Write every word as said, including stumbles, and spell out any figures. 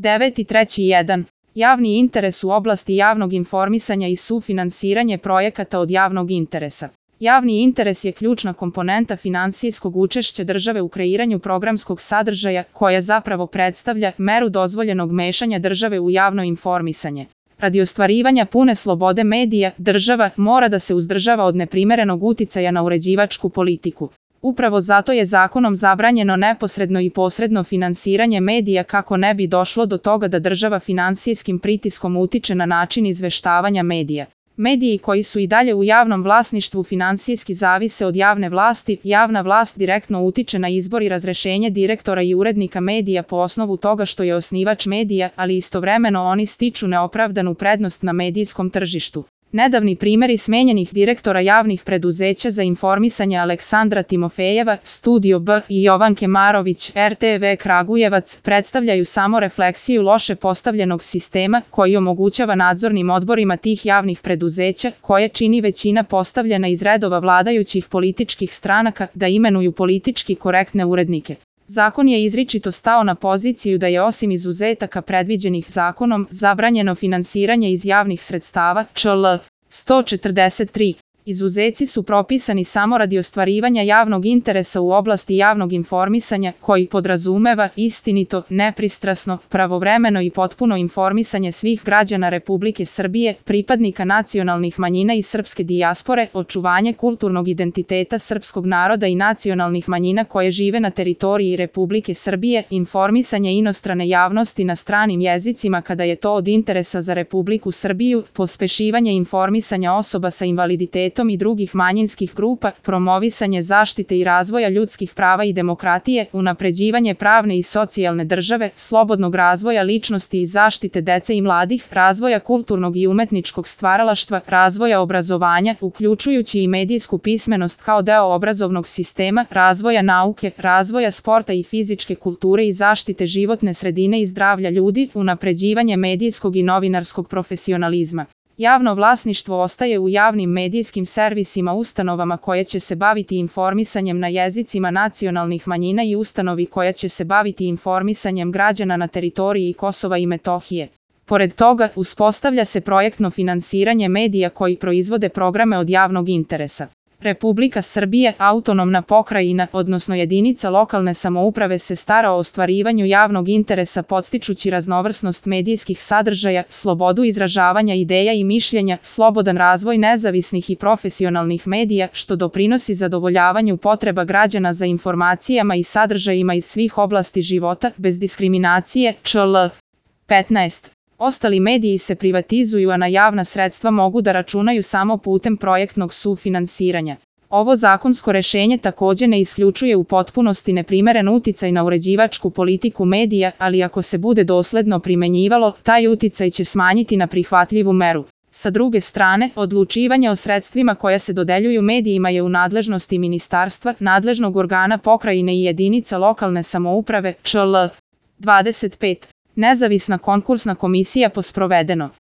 deveti treći jedan. Javni interes u oblasti javnog informisanja i sufinansiranje projekata od javnog interesa. Javni interes je ključna komponenta finansijskog učešća države u kreiranju programskog sadržaja, koja zapravo predstavlja meru dozvoljenog mešanja države u javno informisanje. Radi ostvarivanja pune slobode medija, država mora da se uzdržava od neprimerenog uticaja na uređivačku politiku. Upravo zato je zakonom zabranjeno neposredno i posredno finansiranje medija kako ne bi došlo do toga da država finansijskim pritiskom utiče na način izveštavanja medija. Mediji koji su i dalje u javnom vlasništvu finansijski zavise od javne vlasti, javna vlast direktno utiče na izbor i razrešenje direktora i urednika medija po osnovu toga što je osnivač medija, ali istovremeno oni stiču neopravdanu prednost na medijskom tržištu. Nedavni primjeri smenjenih direktora javnih preduzeća za informisanje Aleksandra Timofejeva, Studio B i Jovanke Marović, R T V Kragujevac, predstavljaju samo refleksiju loše postavljenog sistema koji omogućava nadzornim odborima tih javnih preduzeća, koje čini većina postavljena iz redova vladajućih političkih stranaka, da imenuju politički korektne urednike. Zakon je izričito stao na poziciju da je osim izuzetaka predviđenih zakonom zabranjeno finansiranje iz javnih sredstava, čl. sto četrdeset tri. Izuzeci su propisani samo radi ostvarivanja javnog interesa u oblasti javnog informisanja, koji podrazumeva istinito, nepristrasno, pravovremeno i potpuno informisanje svih građana Republike Srbije, pripadnika nacionalnih manjina i srpske dijaspore, očuvanje kulturnog identiteta srpskog naroda i nacionalnih manjina koje žive na teritoriji Republike Srbije, informisanje inostrane javnosti na stranim jezicima kada je to od interesa za Republiku Srbiju, pospešivanje informisanja osoba sa invaliditetom i drugih manjinskih grupa, promovisanje zaštite i razvoja ljudskih prava i demokratije, unapređivanje pravne i socijalne države, slobodnog razvoja ličnosti i zaštite dece i mladih, razvoja kulturnog i umetničkog stvaralaštva, razvoja obrazovanja, uključujući i medijsku pismenost kao deo obrazovnog sistema, razvoja nauke, razvoja sporta i fizičke kulture i zaštite životne sredine i zdravlja ljudi, unapređivanje medijskog i novinarskog profesionalizma. Javno vlasništvo ostaje u javnim medijskim servisima, ustanovama koje će se baviti informisanjem na jezicima nacionalnih manjina i ustanovi koja će se baviti informisanjem građana na teritoriji Kosova i Metohije. Pored toga, uspostavlja se projektno finansiranje medija koji proizvode programe od javnog interesa. Republika Srbije, autonomna pokrajina, odnosno jedinica lokalne samouprave se stara o ostvarivanju javnog interesa podstičući raznovrsnost medijskih sadržaja, slobodu izražavanja ideja i mišljenja, slobodan razvoj nezavisnih i profesionalnih medija, što doprinosi zadovoljavanju potreba građana za informacijama i sadržajima iz svih oblasti života, bez diskriminacije, čl. petnaest. Ostali mediji se privatizuju, a na javna sredstva mogu da računaju samo putem projektnog sufinansiranja. Ovo zakonsko rešenje takođe ne isključuje u potpunosti neprimeren uticaj na uređivačku politiku medija, ali ako se bude dosledno primenjivalo, taj uticaj će smanjiti na prihvatljivu meru. Sa druge strane, odlučivanje o sredstvima koja se dodeljuju medijima je u nadležnosti ministarstva, nadležnog organa pokrajine i jedinica lokalne samouprave, čl. dvadeset pet. Nezavisna konkursna komisija po sprovedeno